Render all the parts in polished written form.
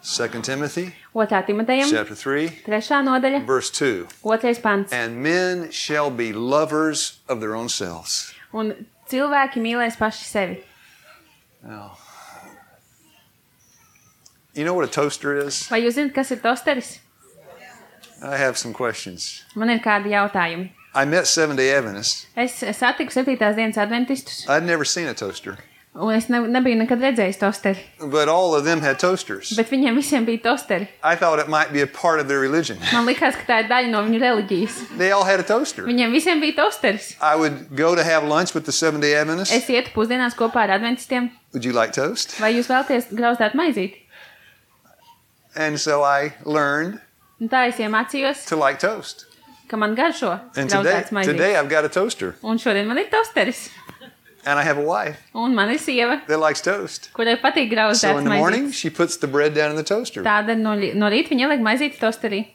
2 Timothy, 2. Timotejam, chapter 3, 3. nodaļa, verse 2. 2. pants. And men shall be lovers of their own selves. Un cilvēki mīlēs paši sevi. Now, you know what a toaster is? Vai jūs zināt, kas ir tosteris? I have some questions. Man ir kādi jautājumi. I met Seventh-day Adventists. Es satiku 7. dienas adventistus, I'd never seen a toaster, un es nebiju nekad redzējis tosteri. but all of them had toasters. Bet viņiem visiem bija tosteri. I thought it might be a part of their religion. Man likās, ka tā ir daļa no viņu reliģijas. They all had a toaster. Viņiem visiem bija tosteris. I would go to have lunch with the Seventh-day Adventists. Es ietu pusdienās kopā ar adventistiem. Would you like toast? Vai jūs vēlaties grauzdāt maizīti? And so I learned Un tā es iemācījos, to like toast. ka man garšo And grauzdāts today maizītes. I've got a toaster. Un šodien man ir tosteris. And I have a wife Un man ir sieva, that likes toast. kurai patīk So grauzdāts in the morning, maizītes. she puts the bread down in the toaster. Tāda no rīta viņa ieliek maizītes tosterī.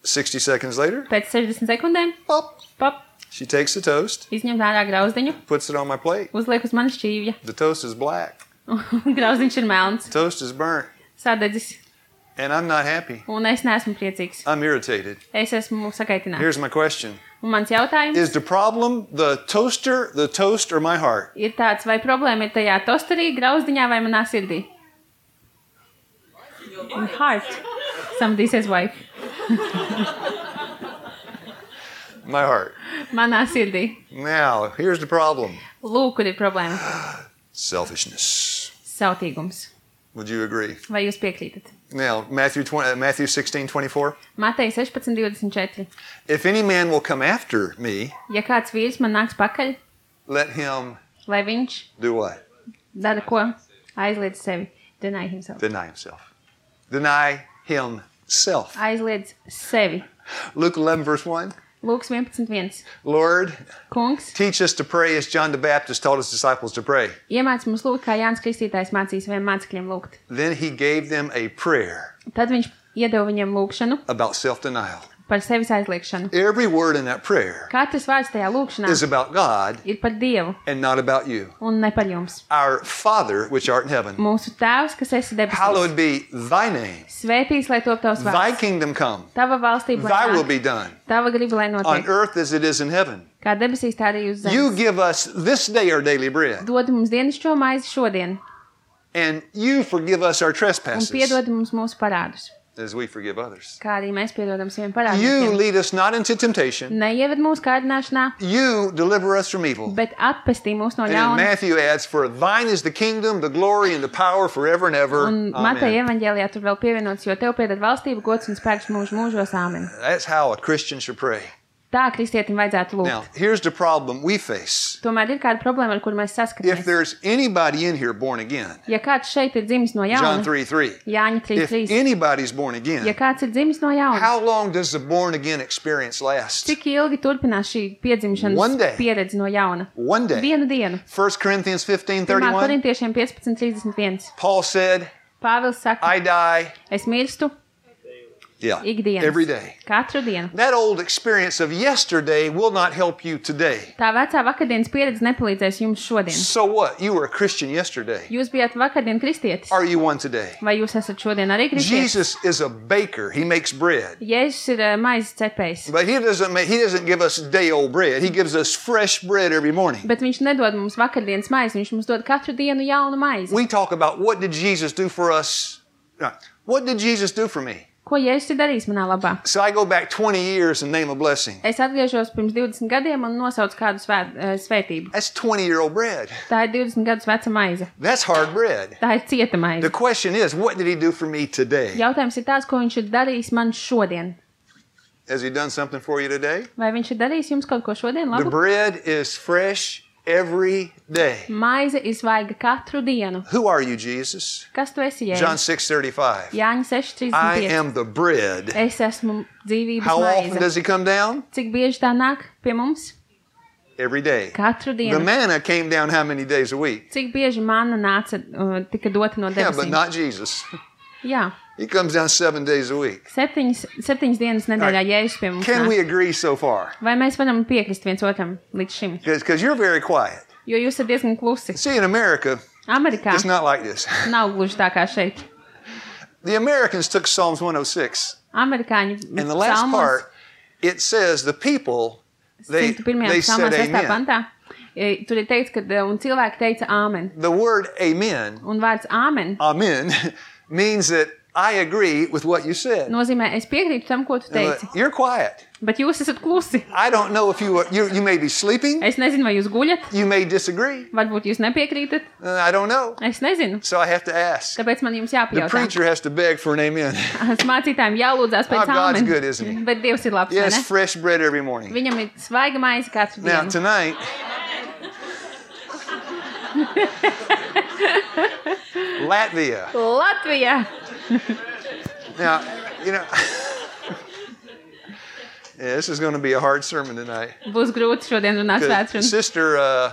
60 seconds later, Pēc 60 sekundēm, pop, pop, she takes the toast, izņem ārā grauzdiņu, puts it on my plate. uzliek uz manas šķīvja. The toast is black. Grauzdiņš ir melns, Toast is burnt. sadedzis, And I'm not happy. un es neesmu priecīgs. I'm irritated. Es esmu sakaitināts. Here's my question. Un mans jautājums Is the problem the toaster, the toast, or my heart? ir tāds, vai problēma ir tajā tosterī, grauzdiņā vai manā sirdī? Heart. Somebody says wife. My heart. Manā sirdī. Now, here's the problem. Lūk, kur ir problēma. Selfishness. Sautīgums. Would you agree? Vai jūs piekrītat? Now, Matthew 16:24. Mateja 16:24. If any man will come after me, Ja kāds vīrs man nāks pakaļ, let him lai viņš do what? dara ko? Aizliedz sevi. Deny himself. Deny himself. Deny himself. Aizliedz sevi. Luke 11, verse 1. Lūks 11.1. Lord, Kungs, teach us to pray as John the Baptist taught his disciples to pray. iemāc mums lūgt, kā Jānis Kristītājs mācīja saviem mācekļiem lūgt. Then he gave them a prayer Tad viņš iedeva viņiem lūgšanu about self-denial. par sevis aizliekšanu. Every word in that prayer Katrs vārds tajā lūgšanā is about God ir par Dievu and not about you. un ne par jums. Our Father, which art in heaven, Mūsu Tēvs, kas esi debesīs, hallowed be thy name. svētīts, lai top tavs Thy vārds. kingdom come. Tava valstība, Thy lai will nāk, be done tava griba, lai on notiek. earth as it is in heaven. Kā debesīs, tā arī uz You zemes. give us this day our daily bread, Dod mums dienascho maizi šodien and you forgive us our un trespasses piedod mums mūsu parādus, as we forgive others. kā arī mēs piedodam saviem You parādiem. lead us not into temptation. Neieved mūsu kārdināšanā, You deliver us from evil. bet atpestī mūs no And then ļauna. Matthew adds, for thine is the kingdom, the glory, and the power forever and ever. Un Mateja Amen. evaņģēlijā tur vēl pievienots, jo tev pieder valstība, gods un spēks mūžu mūžos. Āmen. That's how a Christian should pray. Tā kristietim vajadzētu lūgt. Now, here's the problem we face. Tomēr ir kāda problēma, ar kuru mēs If saskaramies. there's anybody in here born again, Ja kāds šeit ir dzimis no John jauna, 3:3. Jāņa If 3.3. anybody's born Ja again, kāds ir dzimis no jauna, how long does the born again experience last? cik ilgi turpinās šī piedzimšanas One day. pieredze no jauna? One day. Vienu dienu. 1 Corinthians 1. 15:31. Korintiešiem 15.31. Paul said, Pāvils saka, I die. es mirstu Yeah. ikdienas. Every day. Katru dienu. That old experience of yesterday will not help you today. Tā vecā vakardienas pieredze nepalīdzēs jums šodien. So what? You were a Christian yesterday. Jūs bijāt vakardien kristietis. Are you one today? Vai jūs esat šodien arī kristietis? Jesus is a baker. He makes bread. Jēzus ir maizes cepējs. But he doesn't give us day old bread. He gives us fresh bread every morning. Bet viņš nedod mums vakardienas maizi, viņš mums dod katru dienu jaunu maizi. We talk about what did Jesus do for us? What did Jesus do for me? Ko Jēzus ir darījis manā labā? So I go back 20 years and name a blessing. Es atgriežos pirms 20 gadiem un nosaucu kādu svētību. That's 20-year-old bread. Tā ir 20 gadus veca maize. That's hard bread. Tā ir cieta maize. The question is, what did he do for me today? Jautājums ir tāds, ko viņš ir darījis man šodien. Has he done something for you today? Vai viņš ir darījis jums kaut ko šodien The labu? bread is fresh every day. Maize ir svaiga katru dienu. Who are you, Jesus? Kas tu esi, John Jēzus? 6:35. Jāņa I 6.35. am the bread. Es esmu dzīvības How often maize. does he come down? Cik bieži tā nāk pie mums? Every day. Katru The dienu. manna came down how many days a week? Cik bieži manna nāca, tika dota no Yeah, but debesīm? not Jesus. Jā. He comes down 7 days a week. Septiņas dienas nedēļā Jēzus pie mums Can we nāk. agree so far? Vai mēs varam piekrist viens otram līdz šim? Because you're very quiet. Jo jūs esat diezgan klusi. See, in America, Amerikā It's not like this. nav gluži tā kā šeit. The Americans took Psalms 106. Amerikāņi In the last psalmos, part, it says the people, they 101. said psalmā 6. amen. pantā, tur ir teikts, ka un cilvēki teica āmen. The word amen, Un vārds āmen amen, means that I agree with what you said. nozīmē, es piekrītu tam, ko tu teici. You're quiet. Bet jūs esat klusi. I don't know if you may be sleeping. Es nezinu, vai jūs guļat. You may disagree. Varbūt jūs nepiekrītat. I don't know. Es nezinu. So I have to ask. Tāpēc man jums The jāpajautā. preacher has to beg for an amen. Mācītājiem jālūdzās pēc Oh, God's āmen. good, isn't he? Bet Dievs ir labs, vai Yes, ne? fresh bread every morning. Viņam ir svaiga maize katru Now, dienu. tonight, Latvia. Latvijā! Now, you know, yeah, this is going to be a hard sermon tonight. Būs grūti šodien runāt 'Cause svētkrunu. Sister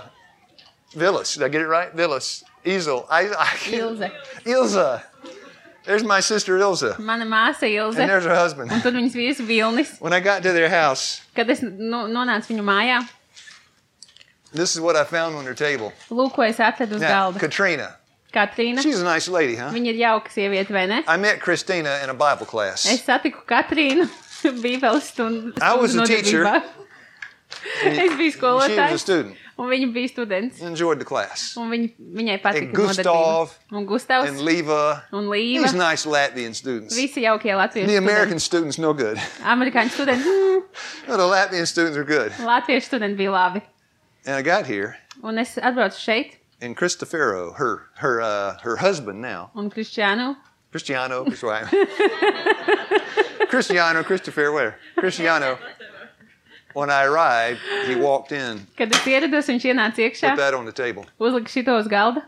Villas, did I get it right? Villas. Ilze. Ilze. Ilze. There's my sister Ilze. Mana māsa Ilze. And there's her husband. Un tad viņas vīrs Vilnis. When I got to their house, Kad es nonācu viņu mājā, this is what I found on their table. lūk, ko es atradu uz Now, galda. Katrina. Katrīna. She's a nice lady, huh? Viņa ir jauka sieviete, vai ne? I met Christina in a Bible class. Es satiku Katrīnu Bībeles stundu I was a teacher. nodarbībā. Es biju She was a skolotājs, student. un viņa bija students. Enjoyed the class. Un viņai And patika Gustav nodarbība. Un Gustavs and Leva. un These Līva. nice Latvian students. Visi jaukie latviešu The American studenti. students, no good. Amerikāņu studenti. No, the Latvian students are good. Latviešu studenti bija labi. And I got here, Un es atbraucu šeit, and Cristofero, her husband now, un Kristiānu. Cristiano, Cristofero, where? Cristiano. When I arrived, he walked in, Kad es ierados, viņš ienāca iekšā, put that on the table. uzlika šito uz galda.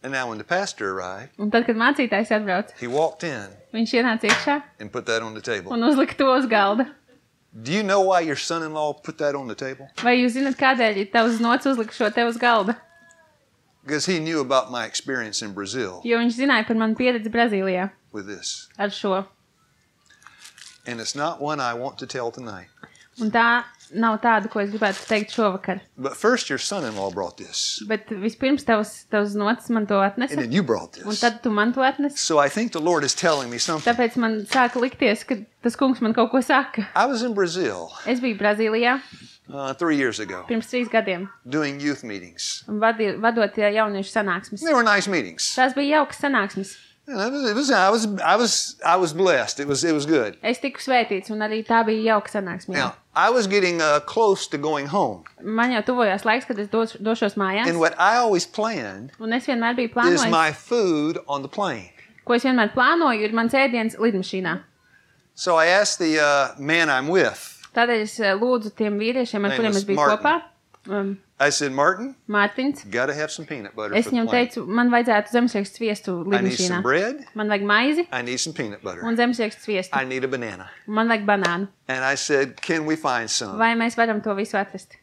And now when the pastor arrived, Un tad, kad mācītājs atbrauc, he walked in viņš ienāca iekšā and put that on the table. un uzlika to uz galda. Do you know why your son-in-law put that on the table? Vai jūs zināt, kādēļ tavs nots uzlika šo te uz galda? Because he knew about my experience in Brazil Jo viņš zināja par manu pieredzi Brazīlijā with this. ar šo. And it's not one I want to tell tonight. Un tā nav tāda, ko es gribētu teikt šovakar. But first, your son-in-law brought this, Bet vispirms tavs nots man to and atnesa, then you brought un this. tad tu man to atnesi. So I think the Lord is telling me something. Tāpēc man sāka likties, ka tas kungs man kaut ko saka. I was in Brazil Es biju Brazīlijā 3 years ago pirms 3 gadiem, doing youth meetings. un vadot jauniešu sanāksmes. They were nice meetings. Tās bija jaukas sanāksmes. You know, I was blessed. It was good. Es tiku svētīts, un arī tā bija jauka sanāksme. Now I was getting close to going home, Man jau tuvojās laiks, kad es došos mājās, and what I always planned un es vienmēr biju is plānojis, my food on the plane. ko es vienmēr plānoju, ir mans ēdiens lidmašīnā. So I asked the man I'm with. Tādēļ es lūdzu tiem vīriešiem, ar Name kuriem is es biju Martin. kopā, I said, Martin, Mārtiņš. got to have some peanut butter Es for the viņam plane. teicu, man vajadzētu zemesriekstu sviestu I need lidmašīnā. some bread. Man vajag maizi I need some peanut butter. un zemesriekstu sviestu. I need a banana. Man vajag banānu. And I said, can we find some? Vai mēs varam to visu atrast?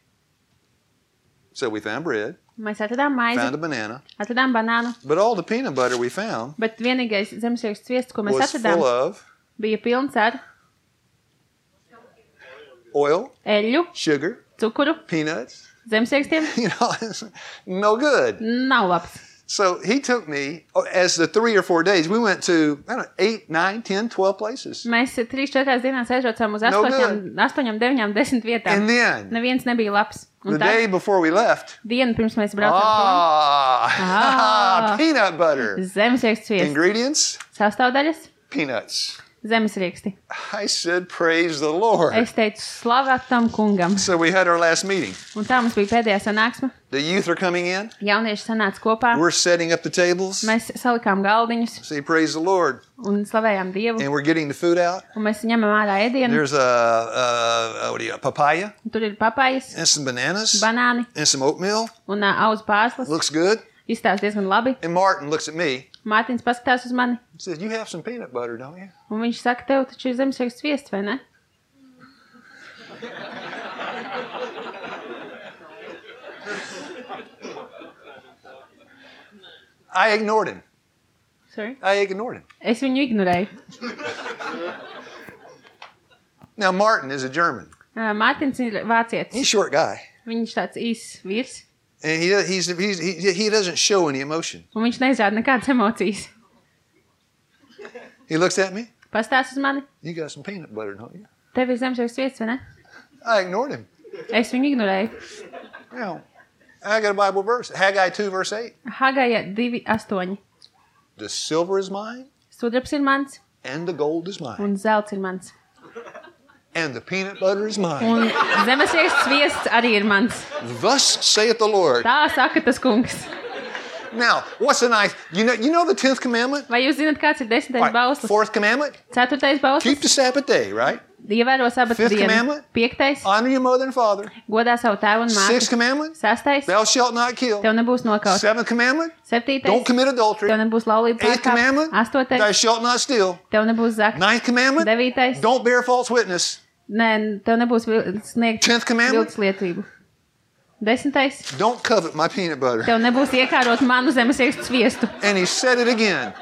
So we found bread, Mēs atradām maizi, found a banana, atradām banānu, but all the peanut butter we found bet vienīgais zemesriekstu sviests, ko mēs was atradām, full of bija pilns ar oil, eļļu, sugar, cukuru, peanuts. zemesriekstiem. You know, it's no good. Nav labs. So he took me, as the 3 or 4 days, we went to, I don't know, 8, 9, 10, 12 places. Mēs 3-4 dienās aizbraucām uz No 8, 9, 10 vietām. And then, Neviens nebija labs. Un the tā day before we left, diena pirms mēs braucām prom, Ah. peanut butter. zemesriekstu sviests, Ingredients, sastāvdaļas, peanuts. zemesrieksti. I said, praise the Lord. Es teicu, slavēt tam kungam. So we had our last meeting. Un tā mums bija pēdējā sanāksme. The youth are coming in. Jaunieši sanāca kopā. We're setting up the tables. Mēs salikām galdiņus Say, praise the Lord. un slavējām Dievu. And we're getting the food out. Un mēs ņemam ārā ēdienu. There's a papaya Un tur ir papājas, and some bananas banāni and some oatmeal. un auzu pārslas. Looks good. Izstāsta diezgan labi. And Martin looks at me Mārtiņš paskatās uz mani. and says, you have some peanut butter, don't you? Un viņš saka, tev taču ir zemesriekstu sviests, vai ne? I ignored him. Sorry? I ignored him. Es viņu ignorēju. Now, Martin is a German. Mārtiņš ir vācietis. He's a short guy. Viņš tāds īss vīrs. And he doesn't show any emotion. Un viņš neizrāda nekādas emocijas. He looks at me. Pastāst uz mani. You got some peanut butter, don't you? Tev ir zemesviests viests, vai ne? I ignored him. Es viņu ignorēju. You know, I got a Bible verse. Haggai 2, verse 8. Hagaja 2:8. The silver is mine, Sudrabs ir mans, and the gold is mine, un zelts ir mans. and the peanut butter is mine. Un zemesviests viests arī ir mans. Thus saith the Lord. Tā saka tas kungs. Now, what's the nice? You know the 10th commandment? Vai jūs zināt, kāds ir 10. All right, bauslis? 4th commandment? 4. bauslis. Keep the Sabbath day, right? Ievēro sabata 5th dienu. commandment? 5. Honor your mother and father. Godā savu tēvu un 6th māti. commandment? 6. Thou shalt not kill. Tev nebūs nokauts. 7th commandment? 7. Don't commit adultery. Tev nebūs laulība 8th commandment? pārkāpt. 8. Thou shalt not steal. Tev nebūs zakt. 9th commandment? 9. Don't bear false witness. Nē, tev nebūs sniegt 10th commandment? viltus lietību. 10. Don't covet my peanut butter. Tev nebūs iekārot manu zemesviestu sviestu. And he said it again.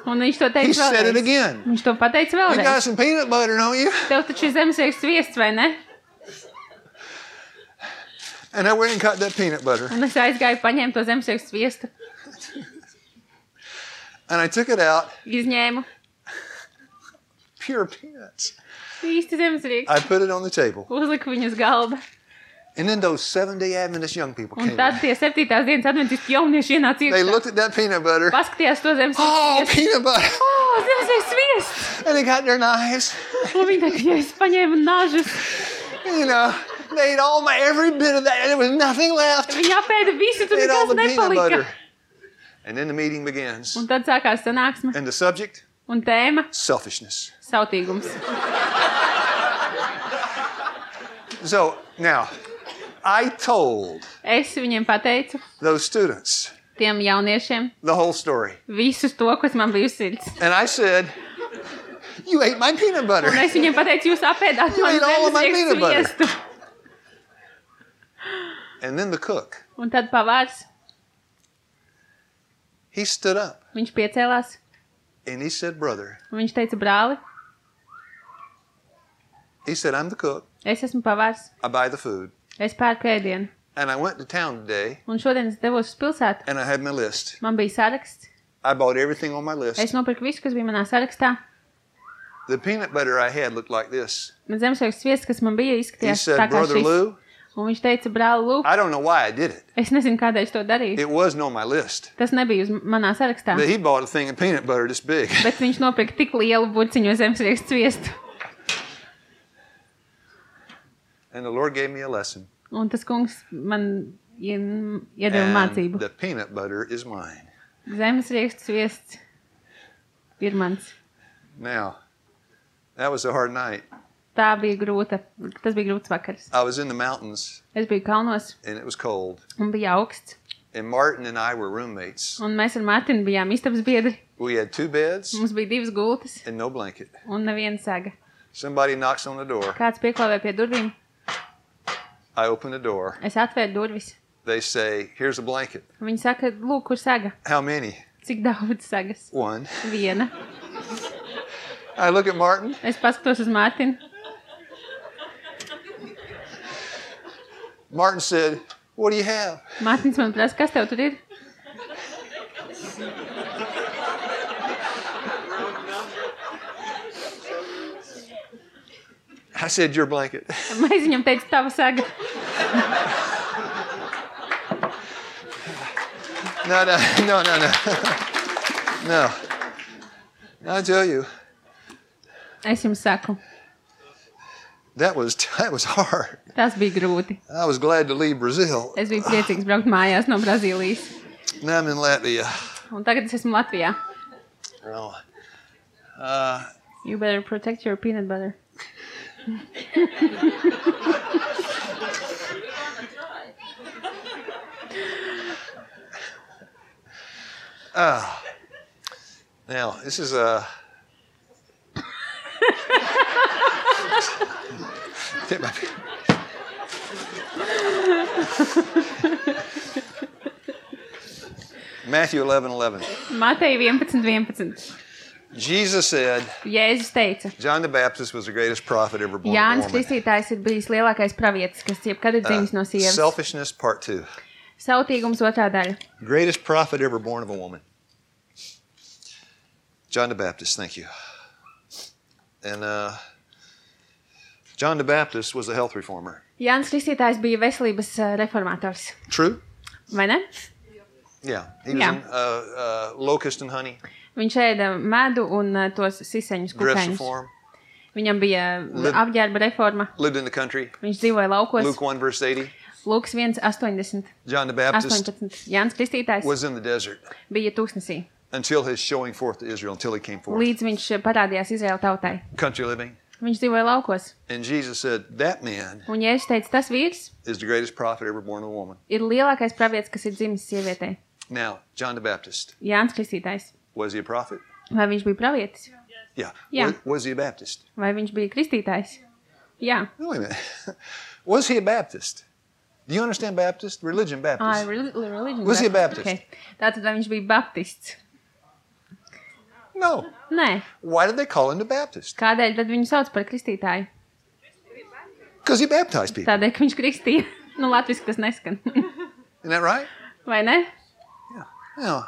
Un viņš to He teica said it vēlreiz. again. Viņš to pateica You got vēlreiz. some peanut butter, don't you? Tev taču ir zemesviestu sviests, vai ne? And I went and cut that peanut butter. Un es aizgāju paņēmu to zemesviestu sviestu. And I took it out. Izņēmu. Pure peanuts. Īsti zemesvieks. I put it on the table. Uzliku viņu uz galda. And then those 7-day Adventist young people Un came tad in. tie 7. dienas adventisti jaunieši ienāca They iekšā. looked at that peanut butter. Paskatījās to zemesviestu Oh, sviestu. peanut butter. O, zemesviestu sviests! And they got their knives. Un viņi teica, ja es paņēmu nažus. You know, they ate every bit of that. And there was nothing left. Viņi apēda visu, tur They ate all nekas the peanut butter. nepalika. And then the meeting begins. Un tad sākās sanāksme. And the subject? Un tēma Selfishness. - sautīgums. So, now, I told Es viņiem pateicu, those students tiem jauniešiem, the whole story. visus to, kas man bija uz sirds. And I said, you ate my peanut butter. Un es viņiem pateicu, jūs apēdāt You manu ate all of my zemesviestu peanut butter. sviestu. And then the cook, Un tad pavārs, he stood up viņš piecēlās, and he said, brother, un viņš teica, brāli, he said, I'm the cook. es esmu pavārs, I buy the food. es pērku ēdienu. And I went to town today Un šodien es devos uz pilsētu, and I had my list. man bija saraksts, I bought everything on my list. es nopirku visu, kas bija manā sarakstā. The peanut butter I had looked like this. Man zemesviestu sviests, kas man bija, He izskatījās said, tā kā brother šis. Lou, Un viņš teica, brāli, lūk, I don't know why I did it. es nezinu, kādēļ es to darīju. It wasn't on my list. Tas nebija uz manā sarakstā. But he bought a thing of peanut butter this big. Bet viņš nopirka tik lielu burciņu zemesviestu sviestu. And the Lord gave me a lesson. Un tas kungs man iedeva And mācību. the peanut butter is mine. Zemesviestu sviests ir mans. Now, that was a hard night. Tas bija grūts vakars. I was in the mountains Es biju kalnos and it was cold. un bija augsts. And Martin and I were roommates. Un mēs ar Mārtiņu bijām istabas biedri. We had 2 beds Mums bija 2 gultas and no blanket. un neviena saga. Somebody knocks on the door. Kāds pieklāvēja pie durvīm. I open the door. Es atvēru durvis. They say, here's a blanket. Viņi saka, lūk, kur saga? How many? Cik daudz sagas? 1. Viena. I look at Martin. Es paskatos uz Mārtiņu. Martin said, what do you have? Mārtiņš man prasa, kas tev tur ir? I said, your blanket. Mēs viņam teicu, tava saga. No. No. I tell you, Es jums saku, that was hard. tas bija grūti. I was glad to leave Brazil. Es biju priecīgs braukt mājās no Brazīlijas. Now I'm in Latvia. Un tagad es esmu Latvijā. Oh. You better protect your peanut butter. Now, this is Take my- Matthew 11:11. Mateja 11:11. Jesus said, Jēzus teica, John the Baptist was the greatest prophet ever born of a Jānis woman. Kristītājs ir bijis lielākais pravietis, kas jebkad ir dzimis no sievas. Selfishness part 2. Sautīgums otrā daļa. Greatest prophet ever born of a woman. John the Baptist, thank you. And John the Baptist was a health reformer. Jānis Kristītājs bija veselības reformators. True? Vai ne? Yeah. He was in locust and honey. Viņš ēda medu un tos siseņus Dress kukaiņus. reform. Viņam bija apģērba reforma. Lived in the country. Viņš dzīvoja laukos. Luke 1 verse 80. Lūks 1:80. John the Baptist 18. Jānis Kristītājs was in the desert bija tūkstnesī, until his showing forth to Israel, until he came forth. līdz viņš parādījās Izraēla tautai. Country living. Viņš dzīvoja laukos. And Jesus said, that man Un Jēzus teica, tas vīrs is the greatest prophet ever born of a woman. ir lielākais pravietis, kas ir dzimis sievietei. Now, John the Baptist, Jānis Kristītājs. was he a prophet? Vai viņš bija pravietis? Yeah. Yeah. Was he a Baptist? Vai viņš bija kristītājs? Jā. No, wait a minute. Was he a Baptist? Do you understand Baptist? Religion Baptist. Religion. Was he a Baptist? Okay. Tātad vai viņš bija baptists? No. Nē. Why did they call him the Baptist? Kādēļ tad viņu sauc par kristītāju? Because he baptized people. Tādēļ, ka viņš kristīja. Nu, latviski tas neskan. Isn't that right? Vai ne? Yeah.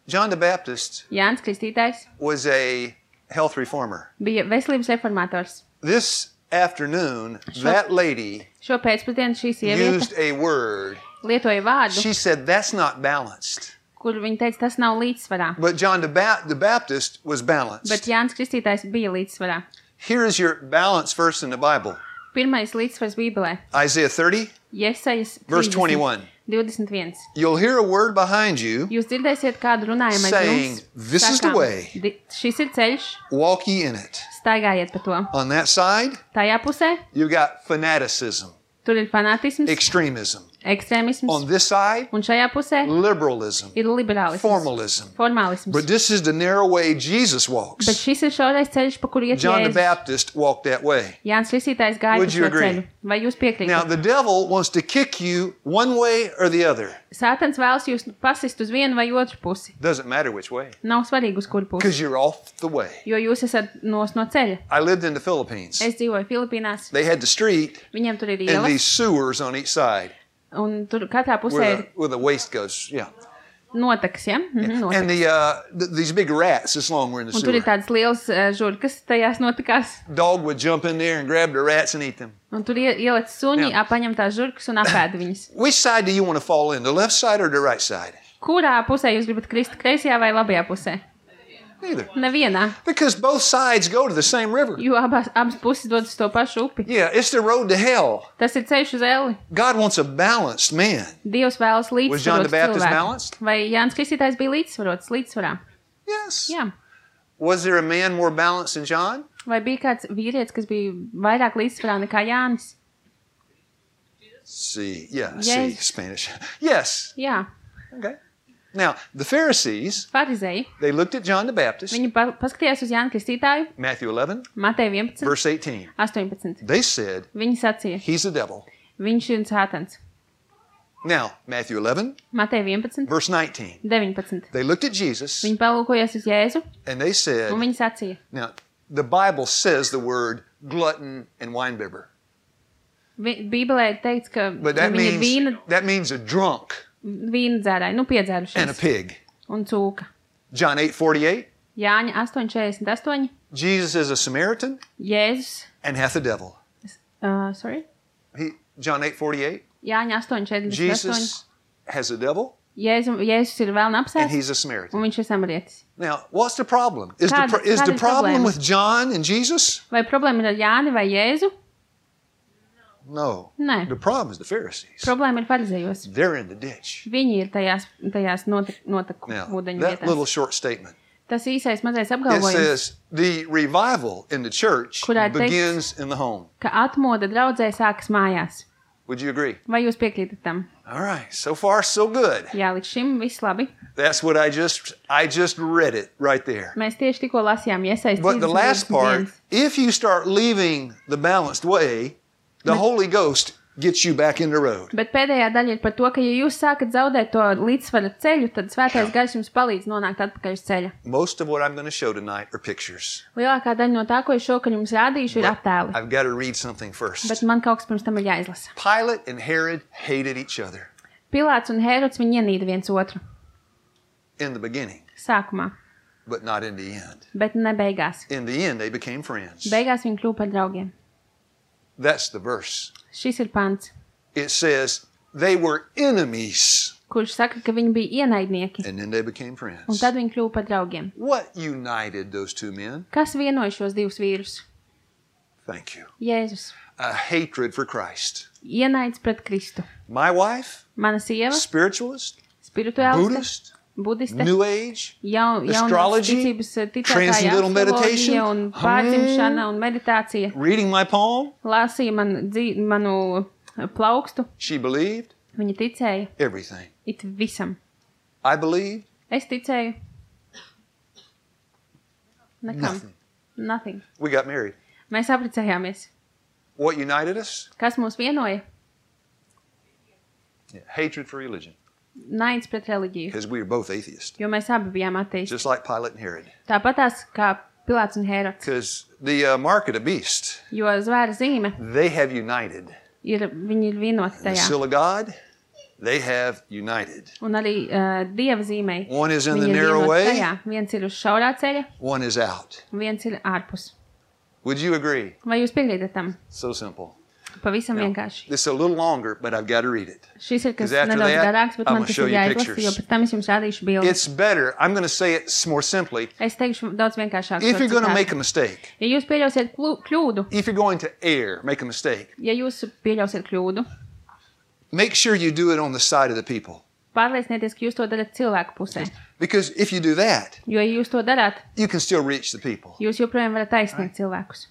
John the Baptist Jānis Kristītājs was a health reformer. bija veselības reformators. This afternoon, that lady Šo pēcpusdienu šī sieviete used a word. lietoja vārdu, She said, that's not balanced. kur viņa teica, tas nav līdzsvarā. But John the Baptist was Bet balanced. Jānis Kristītājs bija līdzsvarā. Here is your balance verse in the Bible. Pirmais līdzsvars Bībelē. Isaiah 30, Jesajas verse 30, 21. 21. You'll hear a word behind you, Jūs dzirdēsiet kādu runājumu aiz saying, jums. "This is the sakām, way." Šis ir ceļš, walk ye in it. staigājiet pa to. On that side, Tajā pusē you've got fanaticism, tur ir fanātisms, extremism. ekstrēmisms, On this side, un šajā pusē liberalism, ir liberālisms, formalism. formālisms. But this is the narrow way Jesus Bet walks. šis ir šaurais ceļš, pa kuru iet John the Jēzus. Baptist walked that way. Jānis Kristītājs gāja Would pa you šo agree? ceļu. Vai jūs Now, piekrītat? the devil wants to kick you one way or the other. Sātans vēlas jūs pasist uz vienu vai otru pusi. Doesn't matter which way, Nav svarīgi, uz kuru pusi, because you're off the way. jo jūs esat no ceļa. I lived in the Philippines. Es dzīvoju Filipīnās, They had the street viņiem tur ir and ielas, these sewers on each side un tur katrā pusē where ir where the waste goes. Yeah. notekas, ja? Notekas. And these big rats this long were in the Un tur ir sewer. tādas lielas žurkas, tajās notikās. Dog would jump in there and grab the rats and eat them. Un tur ielec suņi, Jā. paņem tās žurkas un apēda viņas. Which side do you want to fall in, the left side or the right side? Kurā pusē jūs gribat krist, kreisajā vai labajā pusē? Neither. Nevienā, Because both sides go to the same river. jo abas puses dodas uz to pašu upi. Yeah, it's the road to hell. Tas ir ceļš uz elli. God wants a balanced man. Dievs vēlas Was John the līdzsvarot Baptist cilvēku. balanced? Vai Jānis Kristītājs bija līdzsvarā? Yes. Jā. Was there a man more balanced than John? Vai bija kāds vīrietis, kas bija vairāk līdzsvarā nekā Jānis? See, yeah, Yes. see, Spanish. Yes. Jā, Okay. Now, the Pharisees, farizēji. they looked at John the Baptist, Viņi paskatījās uz Jānu Kristītāju, Matthew 11, Mateja 11, verse 18. 18. They said, Viņi sacīja, he's the devil. viņš ir sātans. Now, Matthew 11, Mateja 11, verse 19. 19. They looked at Jesus Viņi palūkojās uz Jēzu, and they said, un viņi sacīja, now, the Bible says the word glutton and winebibber. Bībelē ir teikts, ka But that viņi ir means a drunk vīna dzērāji, and a piedzērušies, pig. un cūka. John 8:48. Jāņa 8:48, Jesus is a Samaritan Jēzus, and hath a devil. John 8:48. Jāņa 8:48, Jesus has a devil Jēzus ir vēl and apsēsts, he's a Samaritan. un viņš ir samarietis. Now, what's the problem? Is Kāda- the kāda ir problem problēma? with John and Jesus? Vai problēma ir ar Jāni vai Jēzu? No. Nē. The problem is the Pharisees. Problēma ir farizējos. They're in the ditch. Viņi ir tajās noteku Now, ūdeņu that little vietās. short statement. Tas īsais mazais It apgalvojums, says the revival in the church Kurā teikts- begins in the home. ka atmoda draudzē sākas mājās. Would you agree? Vai jūs piekrītat tam? All right. So far, so good. Jā, līdz šim viss labi. That's what I just read it right there. Mēs tieši tikko lasījām iesaist But the last part, if you start leaving the balanced way, the Holy Ghost gets you back in the road. Bet pēdējā daļa ir par to, ka ja jūs sākat zaudēt to līdzsvaru ceļu, tad svētais gars jums palīdz nonākt atpakaļ uz ceļa. Most of what I'm going to show tonight are pictures. Lielākā daļa no tā, ko es šokar jums rādīšu, ir attēli. I've got to read something first. Bet man kaut kas pirms tam ir jāizlasa. Pilate and Herod hated each other Pilāts un Hērods viņi ienīda viens otru in the beginning, sākumā, but not in the end. bet ne beigās. In the end, they became friends. Beigās viņi kļuva par draugiem. That's the verse. Šis ir pants, It says they were enemies, kurš saka, ka viņi bija ienaidnieki, and then they became un friends. tad viņi kļuva par draugiem. What united those two men? Kas vienoja šos divus vīrus? Thank you. Jēzus. A hatred for Christ. Ienaids pret Kristu. My wife, Mana sieva, spiritualist, spirituāliste, Buddhist, budiste, New Age, jaunās astrology, ticības ticētāja, transcendental meditation, astroloģija un pārdzimšana un meditācija. reading my palm. Lāsīja manu plaukstu. She believed Viņa ticēja everything. it visam. I believed Es ticēju nekam. nothing. Nothing. We got married. Mēs apprecējāmies. What united us? Kas mūs vienoja? Hatred for religion, Naids pret reliģiju. because we were both atheists, Jo mēs abi bijām ateisti. just like Pilate and Herod. Tāpatās kā Pilāts un Hērods. Because the mark of the beast, Jo zvēra zīme they have united. viņi ir vienoti The tajā. seal of God, they have united. Un arī Dieva zīmei. One is in Viņi the ir narrow vienoti way, tajā. Viens ir uz šaurā ceļa, one is out. un viens ir ārpus. Would you agree? Vai jūs piekrītat tam? So simple. Pavisam Now, vienkārši. this is a little longer, but I've got to read it. Šis ir kas 'Cause after nedaudz that, garāks, bet I'm man gonna tas show ir you jāizlasa, pictures. jo pēc tam es jums rādīšu bildi. It's better. I'm going to say it more simply. Es teikšu daudz vienkāršāk. If šo you're going to citātu. make a mistake, Ja jūs pieļausiet kļūdu, if you're going to err, make a mistake, ja jūs pieļausiet kļūdu, make sure you do it on the side of the people. pārliecinieties, ka jūs to darat cilvēku pusē. Because if you do that, Jo, ja jūs to darāt, you can still reach the people. jūs joprojām varat aizsniegt cilvēkus.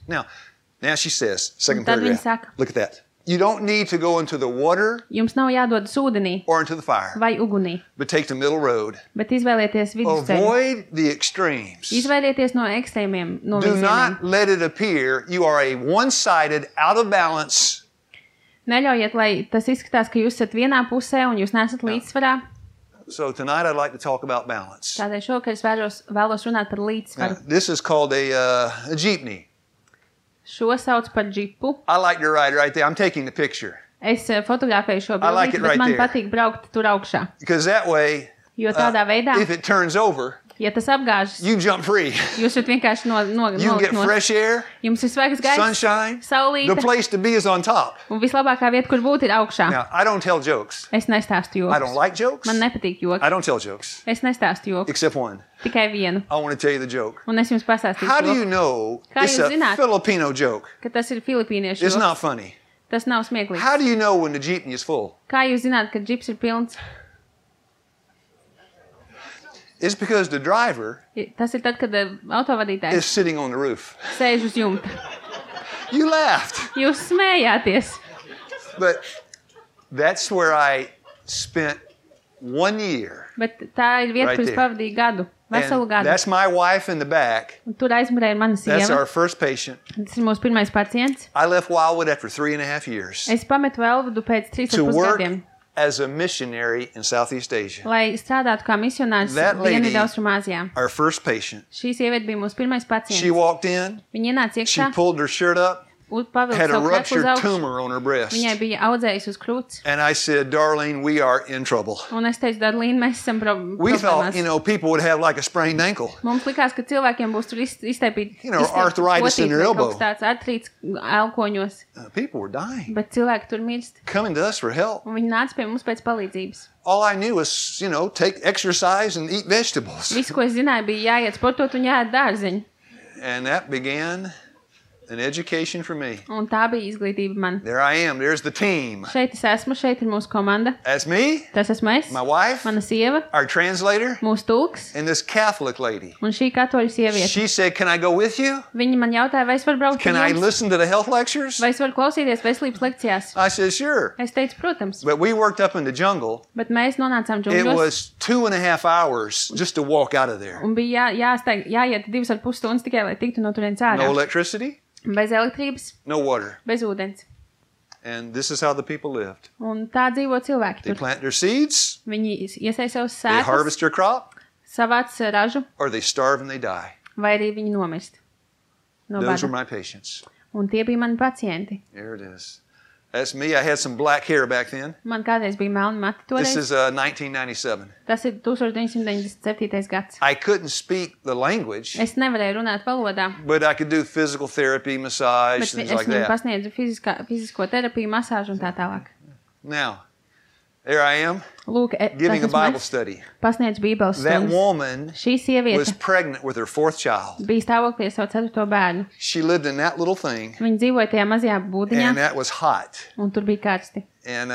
Now she says, second tad viņa paragraph. saka. Look at that. You don't need to go into the water Jums nav jādodas ūdenī or into the fire, vai ugunī, but take the middle road. bet izvēlieties vidusceļu. Avoid the extremes. Izvēlieties no ekstrēmiem Do novirzieniem. not let it appear you are a one-sided, out of balance. Neļaujiet, lai tas izskatās, ka jūs esat vienā pusē un jūs nesat līdzsvarā. So tonight I'd like to talk about balance. Tādēļ šovakar es vēlos runāt par Now, līdzsvaru. this is called a jeepney. Šo sauc par džipu. I like to ride right there. I'm taking the picture Es fotografēju šo I like bildi, it bet right man there. patīk braukt tur augšā. because that way, Jo tādā veidā, if it turns over, ja tas apgāžas, you jump free. jūs varat vienkārši You nolikt get no. fresh air, Jums ir svaigs gaiss, sunshine. The saulīte, place to be is on top. un vislabākā vieta, kur būt, ir augšā. Now, I don't tell jokes. Es nestāstu I don't joks. like jokes. Man nepatīk joki. I don't tell jokes, Es nestāstu joku. except one. Tikai vienu. I want to tell you the joke. Un es jums How pastāstīšu, do you joku, know Kā it's jūs a zināt? Filipino joke? ka tas ir filipīniešu It's joks. not funny. Tas nav smieklīgs. How do you know when the jeepney is full? Kā jūs zināt, ka džips ir pilns? It's because the driver Tas ir tad, kad autovadītājs is sitting on the roof. sēž uz jumta. You laughed, Jūs smējāties. but that's where I spent 1 year. Bet tā ir vieta, Right kur es there. pavadīju gadu. Veselu And gadu. that's my wife in the back. Un tur aizmurēja mana That's sieva. our first patient. Tas ir mūsu pirmais pacients. I left Wildwood after 3.5 years Es pametu Elvadu pēc to 3,5 work gadiem, as a missionary in Southeast Asia. lai strādātu kā misionārs That lady- Dienvidaustrumāzijā. Our first patient. Šī sieviete bija mūsu pirmais She pacients. walked in, Viņa ienāca she iekšā, pulled her shirt up, pavilka had a savu krepu uz ruptured augšu. tumor on her breast. Viņai bija audzējis uz krūts. And I said, Darlene, we are in trouble. Un es teicu, Darlīna, mēs esam We thought, problēmās. people would have like a sprained ankle. Mums likās, ka cilvēkiem būs tur izteipīti arthritis in their elbow. kaut tāds artrīts elkoņos, People were dying, bet cilvēki tur mirst. coming to us for help. Un viņi nāca pie mums pēc palīdzības. All I knew was, take exercise and eat vegetables. Viss, ko es zināju, bija jāiet sportot un jāiet dārziņu. And that began an education for me. Un tā bija izglītība man. There I am. There's the team. Šeit es esmu, šeit ir mūsu komanda. That's me, Tas esmu es, my wife, mana sieva, our translator, mūsu tulks and this Catholic lady. un šī katoļu sieviete. She said, can I go with you? Viņi man jautāja, vai es varu braukt Can ar I jums? listen to the health lectures? Vai es varu klausīties veselības lekcijās? I said, sure. Es teicu, protams, But we worked up in the jungle. bet mēs nonācām It džungļos was 2.5 hours just to walk out of there. un bija jāiet 2,5 stundas tikai, lai tiktu no turienes No ārā. electricity, Bez elektrības, no water. bez ūdens. And this is how the people lived. Un tā dzīvo cilvēki They tur. plant their seeds, Viņi iesaist savus they sēklas, harvest their crop, savāc ražu, or they starve and they die. vai arī viņi nomirst no Those were bada. my patients. Un tie bija mani pacienti. There it is. That's me. I had some black hair back then. Man kādreiz bija melni mati This toreiz. is 1997. Tas ir 1997. gads. I couldn't speak the language, Es nevarēju runāt valodā, but I could do physical therapy, massage, bet things es like viņiem that. pasniedzu fizisko terapiju, masāžu un tā tālāk. Now, there I am Lūk, giving a tas esmu Bible es. study. Pasniedzu bībeles That stundas. woman Šī was sieviete pregnant with her fourth child. bija stāvoklī ar savu 4. bērnu. She lived in that little thing, Viņa dzīvoja tajā mazajā būdiņā, and that was hot. un tur bija karsti. And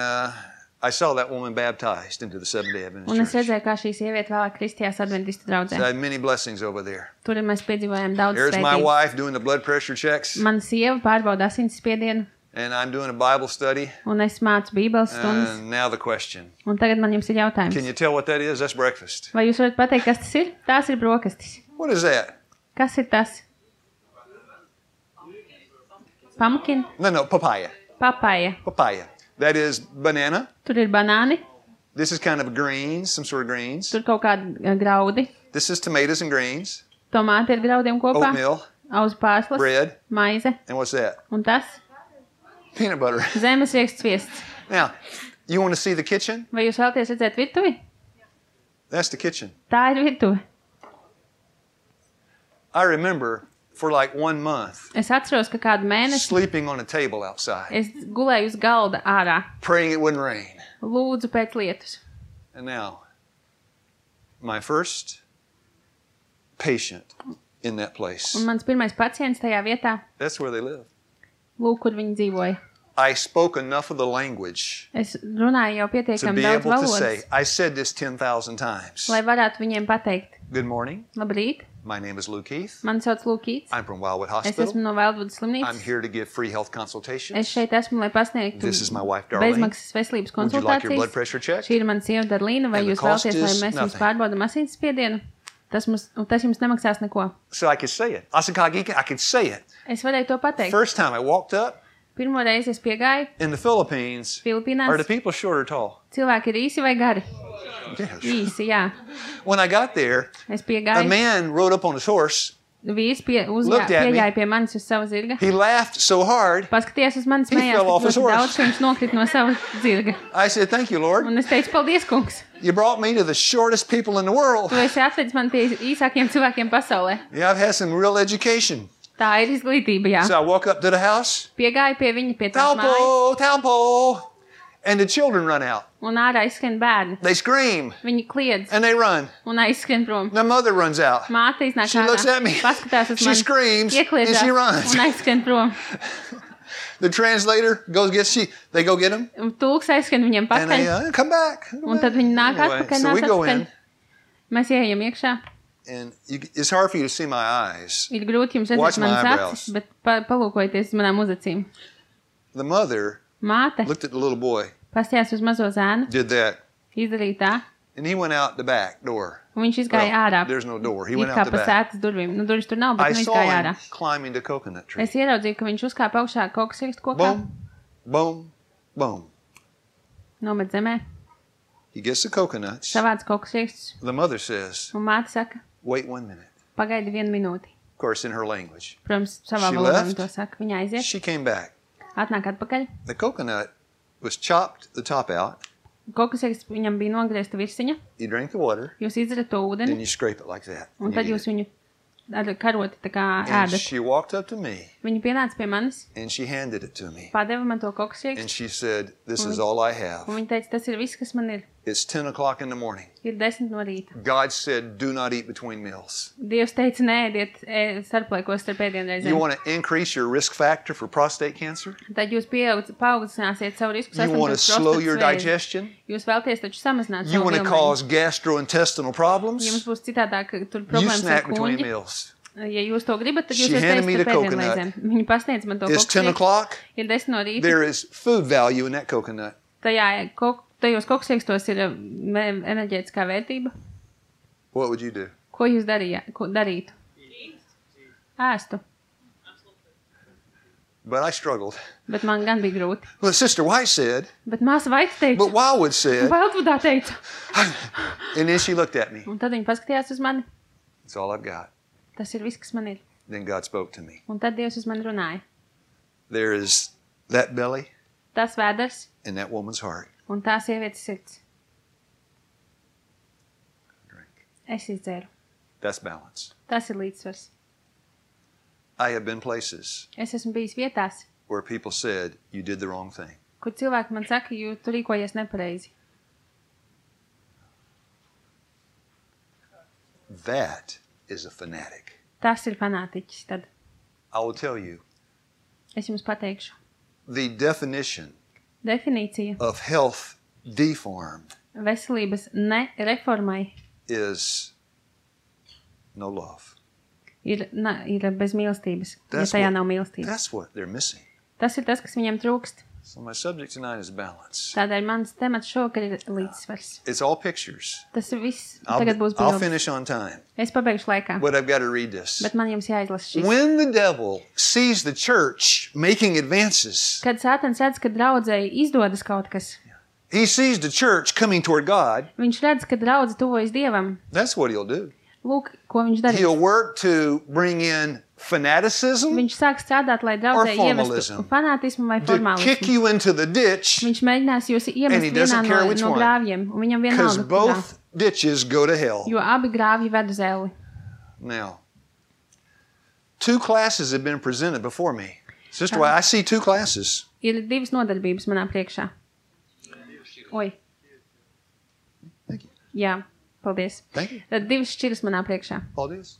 I saw that woman baptized into the Seventh-day Adventist Un es Church. redzēju, kā šī sieviete vēlāk kristījās adventistu So I draudzē. had many blessings over there. Tur mēs piedzīvojām daudz There's my svētības. wife doing the blood pressure checks, Mana sieva pārbauda asinsspiedienu, and I'm doing a Bible study. un es mācu bībeles stundas. And now the question. Un tagad man jums ir Can jautājums. you tell what that is? That's breakfast. Vai jūs varat pateikt, kas tas ir? Tās ir brokastis. What is that? Kas ir tas? Pumpkin, No, papaya. papaja. Papaya. That is banana. Tur ir banāni, This is kind of greens, some sort of greens. tur kaut kādi graudi. This is tomatoes and greens, Tomāti ar graudiem kopā, oatmeal, auzu pārslas, bread, maize. and what's that? Un tas Peanut butter. zemes rieksts sviests. Now, you want to see the kitchen? Vai jūs vēlaties redzēt virtuvi? That's the kitchen. Tā ir virtuve. I remember for like 1 month Es atceros, ka kādu mēnesi sleeping on a table outside, es gulēju uz galda ārā. praying it wouldn't rain. Lūdzu pēc lietus. And now, my first patient in that place. Un mans pirmais pacients tajā vietā, That's where they live. lūk, kur viņi dzīvoja. I spoke enough of the language Es runāju jau to pietiekami be daudz able to say, valodas, I said this 10,000 times. lai varētu viņiem pateikt, Good morning. labrīt, My name is Luke Heath. mani sauc Lūkīts, I'm from Wildwood es Hospital. esmu no Veldvudas I'm slimnīcas, here to give free health es consultations. šeit esmu, lai pasniegtu This is my wife, Darlene. bezmaksas veselības Would you like your blood konsultācijas. pressure checked? Šī ir mana sieva Darlīna, vai And the jūs cost vēlaties, lai is mēs jums nothing. pārbaudam asinsspiedienu? Tas jums nemaksās neko. So I could say it. I could say it. Es varēju to pateikt. First time I walked up Pirmo reizi es piegāju in the Philippines, are the Filipīnās. people short or tall? Cilvēki ir īsi vai gari? Yes. Īsi, jā. When I got there, Es a piegāju. man rode up on his horse. Vīrs Looked at me. piegāja pie manis uz sava zirga. He laughed so hard. Paskaties uz manis, He smējās fell off tik his ļoti horse. daudz, ka viņš nokrita no sava zirga. I said, thank you, Lord. Un es teicu, paldies, kungs. You brought me to the shortest people in the world. Tu esi atvedis man pie īsākiem cilvēkiem pasaulē. Yeah, I've had some real education. Tā ir izglītība, jā. So I walk up to the house. Piegāju pie viņa pie tās mājas. Taupo, Taupo. And the children run out. Un ārā izskrien bērni. They scream Viņi kliedz and they run. un aizskrien prom. The mother runs out. Māte iznāk She looks at me. paskatās uz She mani, screams and iekliedzās she runs. un aizskrien prom. The translator goes they go get him Un tulks aizskrien viņiem and they pakaļ. come back. Un tad viņi nāk Anyway, atpakaļ, so nāk we go atpakaļ. in Mēs ieejam iekšā. and it's hard for you to see my eyes. Ir grūti jums Watch redzēt my manas eyebrows. acis, bet palūkojieties uz manām uzacīm. The mother Māte looked at the little boy, pastījās uz mazo zēnu, did that, izdarīja tā, and he went out the back door. un viņš izgāja ārā. There's no door. He It went kā out the pa back. sētas durvīm. Nu, durvis tur nav, bet I viņš saw gāja him ārā. climbing the coconut tree. Es ieraudzīju, ka viņš uzkāpa augšā koku sirkstu kokā, Boom, boom, boom. nomet zemē, He gets the coconuts. savāc koku sirkstus, The mother says, un māte saka, wait 1 minute. pagaidi 1 minūti. Of course, in her language. Protams, savā She valodā left. viņa to saka. Viņa aiziet, She came back. atnāk atpakaļ. The coconut was chopped the top out. Koku sirksts viņam bija nogriezta virsiņa. You drink the water, Jūs izdarat to then ūdeni, you scrape it like that. un and tad you jūs eat it. viņu ar karoti tā kā And ēdat. she walked up to me Viņa pienāca pie manis, and she handed it to me. padeva man to koku And sirkstu, she said, this is all I have. un viņa teica, tas ir viss, kas man ir. It's 10 o'clock in the morning. Ir 10 no rīta. God said, do not eat between meals. Dievs teica, nēdiet starplaikos starp You ēdienreizēm. want to increase your risk factor for prostate cancer? Tad jūs paaugstināsiet savu risku You want to saslimties slow your prostatas vēzi. digestion? Jūs vēlties taču samazināt You savu want to vilmaiņu. cause gastrointestinal Ja jums problems? būs citādāk tur You problēmas ar snack between kuņģi, meals. ja jūs to gribat, tad jūs She varat handed me teikt the starp coconut. ēdienreizēm. Viņa pasniedz man to It's 10 koku sirkstu. o'clock. Ir 10 no rīta. There is food value in that coconut. Tajos koku sirkstos ir enerģētiskā vērtība. What would you do? Ko jūs darītu? Ēstu. But I struggled. Bet man gan bija grūti. Well, Sister White said, Bet māsa Vaita teica, but Wildwood said, Wildwoodā teica. and then she looked at me. Un tad viņa paskatījās uz mani. That's all I've got. Tas ir viss, kas man ir. Then God spoke to me. Un tad Dievs uz mani runāja. There is that belly Tas vēders and that woman's heart. un tā sievietes sirds. Drink. Es izdzēru. That's balance. Tas ir līdzsvars. I have been places Es esmu bijis vietās, where people said, you did the wrong thing. kur cilvēki man saka, jo tu rīkojies nepareizi. That is a fanatic. Tas ir fanātiķis. Tad I will tell you, es jums pateikšu. the definition Definīcija of health deformed veselības nereformai is no love. ir bez mīlestības, That's ja tajā what- nav mīlestības. That's what they're missing. Tas ir tas, kas viņam trūkst. So my subject tonight is balance. Tādēļ mans temats šovakar ir līdzsvars. It's all pictures. Tas ir viss. Tagad būs I'll bildes. finish on time, Es pabeigšu laikā, but I've got to read this. bet man jums jāizlasa šis. When the devil sees the church making advances, Kad Sātans redz, ka draudzei izdodas kaut kas, he sees the church coming toward God. viņš redz, ka draudze tuvojas Dievam. That's what he'll do. Lūk, ko viņš darīs. He'll work to bring in fanaticism, Viņš sāk strādāt, lai draudzē Or ievestu formalism. fanātismu vai to kick formālismu. you into the ditch, Viņš mēģinās jūs And iemest he doesn't vienā care no which one. grāvjiem, un viņam because vienalga, kurā. both ditches go to hell. Jo abi grāvji ved uz elli. Now, 2 classes have been presented before me. Sister White, I see 2 classes. Ir divas nodarbības manā priekšā. Oi. Thank you. Jā, paldies. Thank you. Tad divas šķiras manā priekšā. Paldies.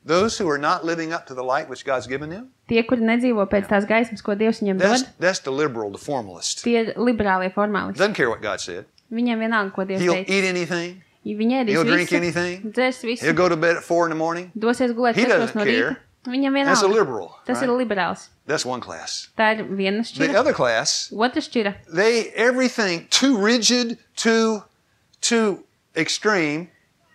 Those who are not living up to the light which God's given them, Tie, kuri nedzīvo pēc tās gaismas, ko Dievs viņiem dod, that's the liberal, the formalist. tie ir liberālie formālisti. Doesn't care what God said. Viņiem vienalga, ko Dievs He'll teica. eat anything. Viņi ēdīs He'll drink visu, anything. dzers He'll visu, go to bed at 4 in the morning. dosies gulēt He 4 doesn't no rīta. care. Viņam That's a vienalga. liberal. Tas ir Right? liberāls. That's one class. Tā ir viena The šķira. other class, Otra šķira. everything too rigid, too extreme.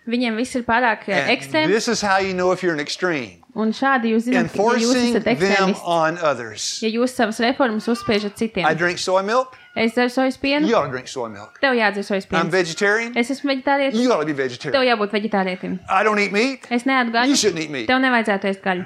Viņiem viss ir pārāk And ekstrēms, this is how you know if you're an extreme. un šādi jūs zināt, ja jūs Enforcing esat them ekstrēmisti. on others. Ja jūs savas reformas uzspiežat citiem. I drink soy milk. Es dzeru sojas pienu, You ought to drink soy milk. tev jādzer sojas I'm piens. vegetarian. Es esmu veģetārietis, You ought to be tev vegetarian. jābūt veģetārietim. I don't eat meat. Es neēdu You gaļu, shouldn't eat meat. tev nevajadzētu ēst gaļu.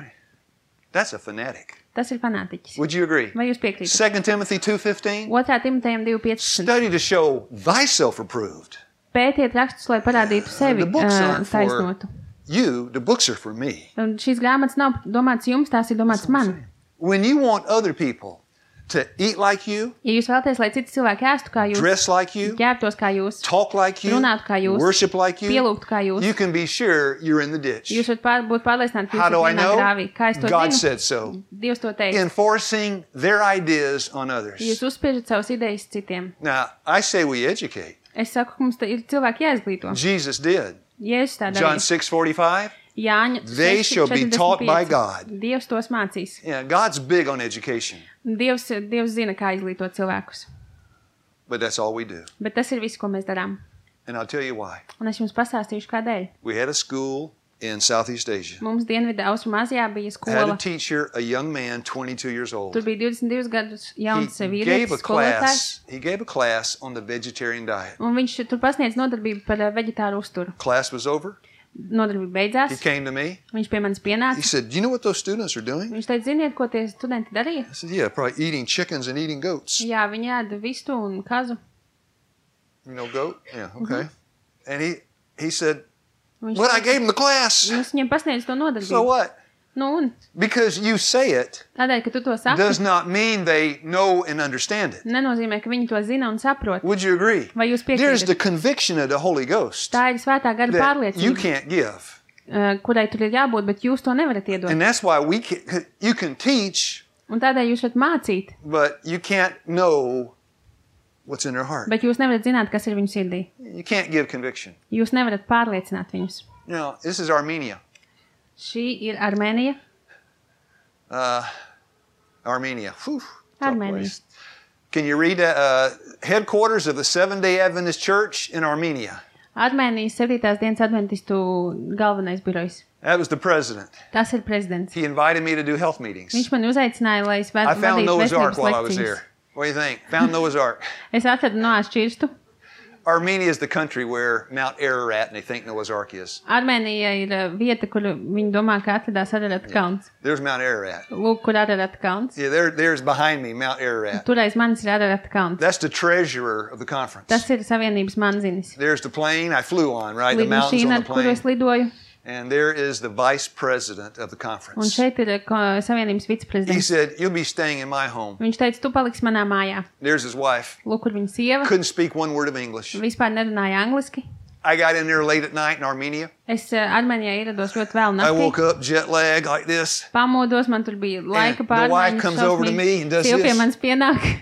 That's a fanatic. Tas ir fanātiķis. Would you agree? Vai jūs piekrītat? 2 Timothy 2:15. 2. Timotejam 2.15. Study to show thyself approved. Pētiet rakstus, lai parādītu sevi The books aren't for taisnotu. you. The books are for me. Un šīs grāmatas nav domāts jums, tās ir domāts man. When you want other people to eat like you, Ja jūs vēlaties, lai citi cilvēki ēstu kā jūs, dress like you, ģērbtos kā jūs, talk like you, runātu kā jūs, worship like you, pielūgtu kā jūs, you can be sure you're in the ditch. jūs varat būt pārliecināti, ka How jūs do I esat vienā know? grāvī. Kā es to God zinu? said so. Dievs to teica. Enforcing their ideas on Jūs others. uzspiežat savas idejas citiem. Now, I say we educate. Es saku, ka mums ir cilvēki jāizglīto. Jesus did. Jēzus tā John darīja. 6:45. Jāņa They shall be taught by 6:45. God. Dievs tos mācīs. Yeah, God's big on education, Dievs zina, kā izglītot cilvēkus. but that's all we do. Bet tas ir viss, ko mēs darām. And I'll tell you why. Un es jums pastāstīšu, kādēļ. We had a school in Southeast Asia. Mums Dienvidu Austrumāzijā bija I had a skola. teacher, a young man, 22 years old. Tur bija 22 gadus He jauns gave vīrietis, a skolotājs. class. He gave a class on the vegetarian diet. Un viņš tur pasniedz nodarbību par veģetāru uzturu. Class was over. Nodarbība He beidzās. came to me. Viņš pie manis He pienāca. said, "Do you know what those students are doing?" Viņš teica, ziniet, ko tie studenti darīja? I said, "Yeah, probably eating chickens and eating goats." Jā, viņi ēda vistu un kazu. You know, goat. Yeah, okay. And he said, Viņš "But I gave him the class." Es viņam pasniedzu to So nodarbību. what? Nu, un Because you say it tādēļ, ka tu to saki, does not mean they know and understand it. nenozīmē, ka viņi to zina un saprot. Would you agree? Vai jūs There's piekrītat? the conviction of the Holy Ghost Tā ir svētā gara that you pārliecība, can't give. Kurai tur ir jābūt, bet jūs to nevarat iedot. And that's why you can teach, Un tādēļ jūs varat mācīt, but you can't know what's in their heart. bet jūs nevarat zināt, kas ir viņu sirdī. You can't give conviction. Jūs nevarat pārliecināt viņus. Now, this is Armenia. Šī ir Armēnija. Armenia. Whew, tough Armenia. place. Can you read headquarters of the Seventh-day Adventist Church in Armenia? Armēnijas 7. dienas adventistu galvenais birojs. That was the president. Tas ir prezidents. He invited me to do health meetings. Viņš man uzaicināja, lai es I found vadītu Noah's Ark veselības while I was lekcijas. there. What do you think? Found Noah's Ark. Es atradu Noās šķirstu. Armenia is the country where Mount Ararat and they think Noah's Ark is. Armēnija ir vieta, kur viņi domā, ka atradās Ararata kalns. There's Mount Ararat. Lūk, kur Ararata kalns. Yeah, there's behind me Mount Ararat. Tur aiz manis ir Ararata kalns. That's the treasurer of the conference. Tas ir Savienības manzinis. There's the plane I flew on, right? The mountains Lidmašīna, on ar the kuru plane. es lidoju. And there is the vice president of the Un conference. šeit ir Savienības He viceprezidents. said, "You'll be staying in my home." Viņš teica, tu paliksi manā mājā. There's his wife. Lūk, kur viņa sieva. Couldn't speak one word of English. Vispār nerunāja angliski. I got in there late at night in Armenia. Es Armēnijā ierados ļoti vēl I woke naktī. up jet lag like this. Pamodos, man tur bija laika And the wife pārmaiņas. comes over to šausmīgi. me and does Sieva pie this. manis pienāk.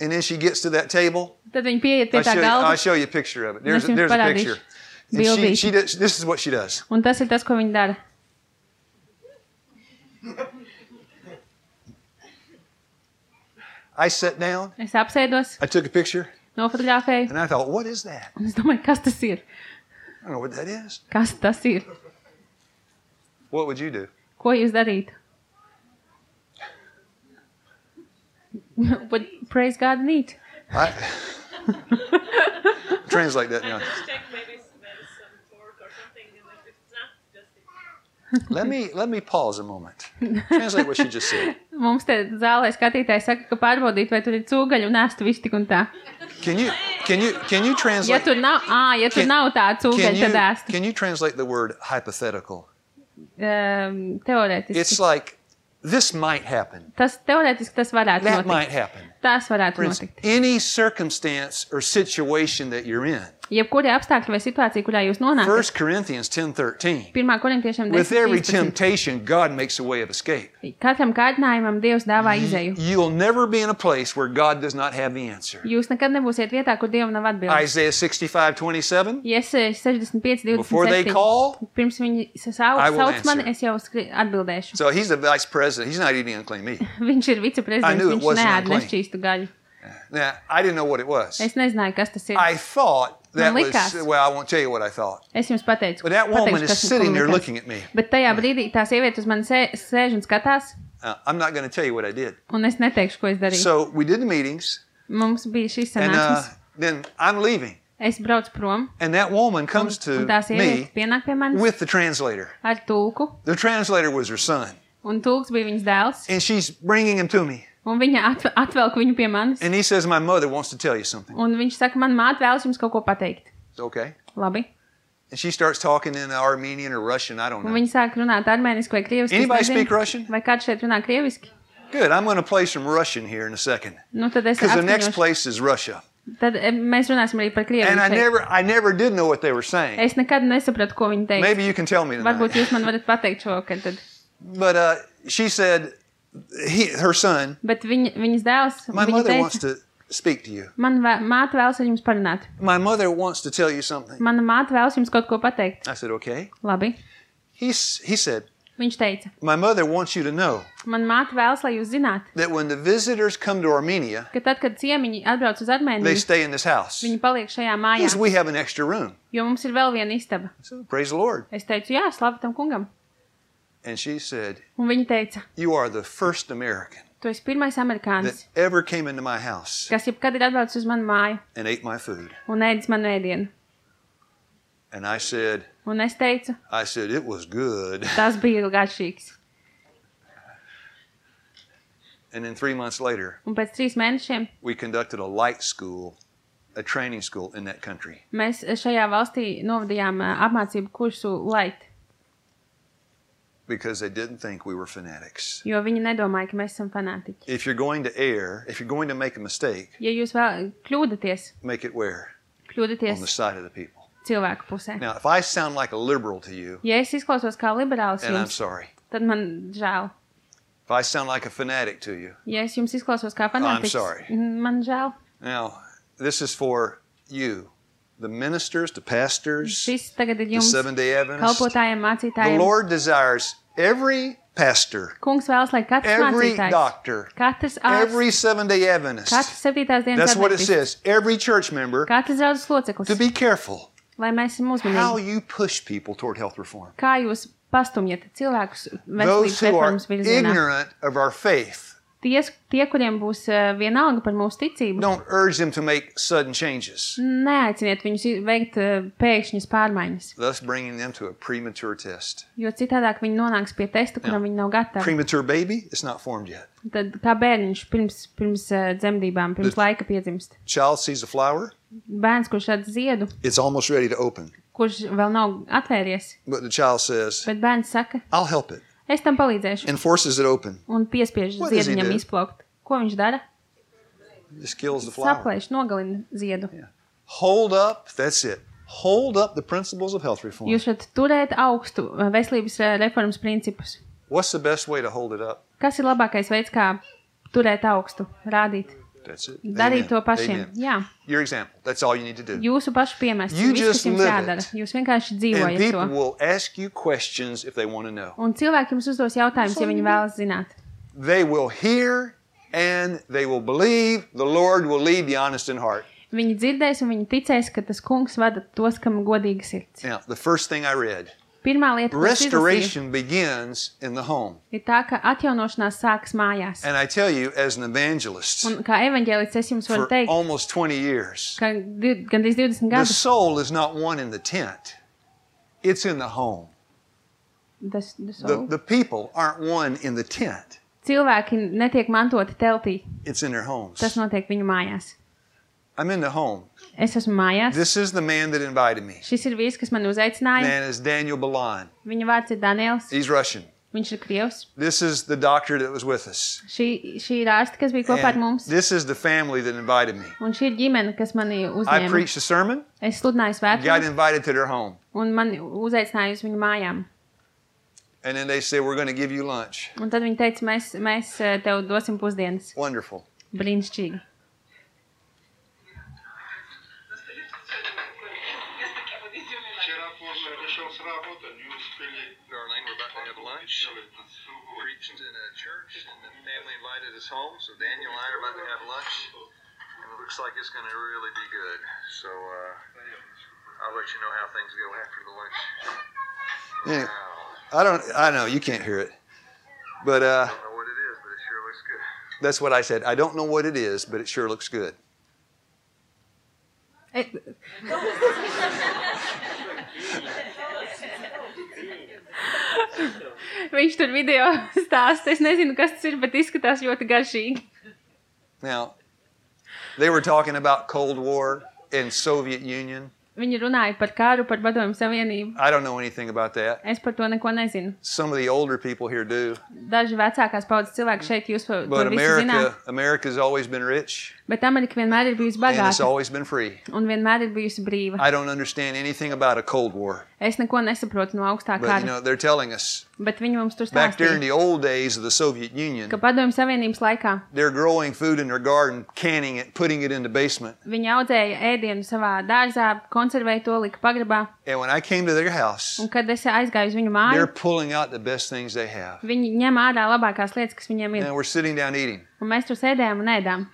And then she gets to that table. Tad viņi pieiet pie I'll tā show galda. you a picture of it. Es jums There's a parādīšu picture. And bildīti. she does, this is what she does. Un tas ir tas, ko viņi dara. I sat down. Es apsēdos, I took a picture. nofotografēju. And I thought, what is that? Un es domāju, kas tas ir? I don't know what that is. Kas tas ir? What would you do? Ko jūs darītu? What praise God need? I translate that now. Check maybe there's some pork or something, and if it's not, just Let me pause a moment. Translate what she just said. Mums te zālē skatītāji saka, ka pārbaudīt, vai tur ir cūgaļi un ēstu viss tik un tā. Can you Ja translate? tur nav, tā cūgaļa, tad ēstu. Can you translate the word hypothetical? Teorētiski. It's like this might happen. Tas teorētiski tas varētu That might notikt. happen. Tas varētu For instance, notikt. any circumstance or situation that you're in. Jebkuri apstākļi vai situācija, kurā jūs nonākat. 1 Corinthians 10:13. 1. korintiešiem With every 10:13. temptation, God makes a way of escape. Katram kārdinājumam Dievs dāvā izēju. You'll never be in a place where God does not have the answer. Jūs nekad nebūsiet vietā, kur Dievam nav atbildes. Isaiah 65:27. Iesaistīju 65, Before they 27. call, Pirms viņi I will sauc mani, answer. es jau atbildēšu. so he's the vice president. He's not eating unclean meat. Viņš ir I viceprezidents, knew it viņš wasn't neēd unclean. nešķīstu gaļu. Now, I didn't know what it was. Es nezināju, kas tas ir. I thought that Man was, likās. well, I won't tell you what I thought. Es jums pateicu. But that woman pateikšu, is kas man sitting there likās. looking at me. Bet tajā brīdī tā sieviete uz mani sēž un skatās, I'm not going to tell you what I did. un es neteikšu, ko es darīju. So we did the meetings, Mums bija šīs and sanāksmes. then I'm leaving. Es braucu prom, And that woman comes un to tā sieviete me pienāk pie manis with the translator. ar tulku, The translator was her son. un tulks bija viņas dēls, And she's bringing him to me. un viņa atvelk viņu pie manis, And he says, my mother wants to tell you something. un viņš saka, man māte vēlas jums kaut ko pateikt. It's okay. Labi. And she starts talking in Armenian or Russian. I don't Un know. viņi sāk runāt armēniski vai krieviski. es Anybody nezinu. speak Russian? Vai kāds šeit runā krieviski? Good. I'm going to play some Russian here in a second. Nu, tad es Because the next atskaņošu. place is Russia. Tad mēs runāsim arī par krievu. And I šeit. never did know what they were saying. Es nekad nesapratu, ko viņi teica. Maybe you can tell me Varbūt tonight. jūs man varat pateikt šovakar. Tad. But she said, her son, Bet viņas dēls, my viņa mother wants teica, to speak to you. man māte vēlas ar jums parunāt. My mother wants to tell you something. Mana māte vēlas jums kaut ko pateikt. I said, okay. Labi. He said, Viņš teica, my mother wants you to know man māte vēlas, lai jūs zināt, that when the visitors come to Armenia, ka tad, kad ciemiņi atbrauc uz they Armēniju, stay in this house. viņi paliek šajā Because mājā, we have an extra room. jo mums ir vēl viena istaba. So praise the Lord. Es teicu, jā, slavu tam kungam. And she said, Un viņa teica, you are the first American tu esi pirmais that amerikānis, ever came into my house kas jebkad ir atbraucis uz manu māju and ate my food. un ēdis manu ēdienu. And I said, Un es teicu, it was good. tas bija garšīgs. And then 3 months later, Un pēc 3 mēnešiem we conducted a light school, a training school in that country. mēs šajā valstī novadījām apmācību kursu Light, Because they didn't think we were fanatics. jo viņi nedomāja, ka mēs esam fanātiķi. If you're going to err, if you're going to make a mistake, Ja jūs vēl kļūdaties, make it where? On the kļūdaties side of the people. cilvēku pusē. Now, if I sound like a liberal to you, Ja es izklausos kā liberāls and I'm jums, sorry. tad man žēl. If I sound like a fanatic to you, Ja es jums izklausos kā I'm fanātiķis, sorry. man žēl. now, this is for you, the ministers, the pastors, Šis tagad ir the jums Seventh-day Adventists. kalpotājiem, The mācītājiem. Lord desires every pastor, Kungs vēlas, lai katrs every mācītājs, doctor, katrs ārsts, every Seventh-day Adventist, katrs 7. dienas that's what it adventists, says, every church member, katrs draudzes to loceklis, be careful lai mēs esam how uzmanīgi. you push people toward health reform. Kā jūs pastumjat cilvēkus veselības Those who are reformas virzienā? ignorant of our faith, Tie, kuriem būs vienalga par mūsu ticību, don't urge them to make sudden changes, neaiciniet viņus veikt pēkšņas pārmaiņas, thus bringing them to a premature test. jo citādāk viņi nonāks pie testa, kuram viņi nav gatavi. Premature baby, it's not formed yet. Tad kā bērniņš pirms dzemdībām, pirms laika piedzimst. Child sees a flower, Bērns, kurš redz ziedu, it's almost ready to open. kurš vēl nav atvēries, But the child says, bet bērns saka, I'll help it, es tam palīdzēšu, and forces it open. un piespiež What does he ziediņam do? izplaukt. Ko viņš dara? Just kills the flower. Saplēš, nogalina ziedu. Hold up, that's it. Hold up the principles of health reform. Jūs varat turēt augstu veselības reformas principus. What's the best way to hold it up? Kas ir labākais veids, kā turēt augstu, rādīt? That's it. Darīt Amen. to pašiem. Amen. Jā, Your example. That's all you need to do. jūsu pašu piemērs. You Viss, just kas jums live jādara. it. Jūs vienkārši And dzīvojat people to. will ask you questions if they want to know. Un cilvēki jums uzdos jautājumus, ja viņi vēlas zināt. They will hear and they will believe the Lord will lead the honest in heart. Viņi dzirdēs un viņi ticēs, ka tas kungs vada tos, kam godīga sirds. Now, the first thing I read, Pirmā lieta, ko es izlasīju, restoration begins in the home. ir tā, ka atjaunošanās sākas mājās. And I tell you, as an evangelist, Un kā evaņģēlists es jums varu for teikt, almost 20 years, ka gandrīz 20 the gadus soul is not one in the tent. It's in the home. The people aren't one in the tent. cilvēki netiek mantoti teltī. It's in their homes. Tas notiek viņu mājās. I'm in the home. Es esmu mājās. This is the man that invited me. Šis ir vīrs, kas mani uzaicināja. Man is Daniel Balan. Viņa vārds ir Daniels. He's Russian. Viņš ir Krievs. This is the doctor that was with us. Šī ir ārste, kas bija kopā ar And mums. this is the family that invited me. Un šī ir ģimene, kas mani I uzņēma. preached a sermon, Es sludināju got svētku invited to their home. un mani uzaicināja uz viņu mājām. And then they said, we're going to give you lunch. Un tad viņi teica, mēs tev dosim pusdienas. Wonderful. Brīnišķīgi. Вчера поздно пришел с работы, не успели. Darlene, we're about to have lunch. Preached in a church, and the family invited us home. So Daniel and I are about to have lunch, and it looks like it's going to really be good. So I'll let you know how things go after the lunch. Anyway, Wow. I know you can't hear it, but I don't know what it is, but it sure looks good. that's what I said. I don't know what it is, but it sure looks good. Viņš tur video stāsta. Es nezinu, kas tas ir, bet izskatās ļoti garšīgi. Now, they were talking about Cold War and Soviet Union. Viņi runāja par karu, par Padomju Savienību. I don't know anything about that. Es par to neko nezinu. Some of the older people here do. Daži vecākās paudzes cilvēki šeit jūs to But visu zināt. America's always been rich Bet Amerika vienmēr ir bijusi and it's bagāta always been free. un vienmēr ir bijusi brīva. I don't understand anything about a Cold War. Es neko nesaprotu no augstā But, you kara, know, they're telling us bet viņi mums tur back during stāstīja, the old days of the Soviet Union, ka Padomju Savienības laikā they're growing food in their garden, canning it, putting it in the basement. viņi audzēja ēdienu savā dārzā, konservēja to, lika pagrabā, And when I came to their house, un kad es aizgāju uz viņu they're māju, pulling out the best things they have. viņi ņem ārā labākās lietas, kas viņiem ir. And we're sitting down eating. Un mēs tur sēdējām un ēdām.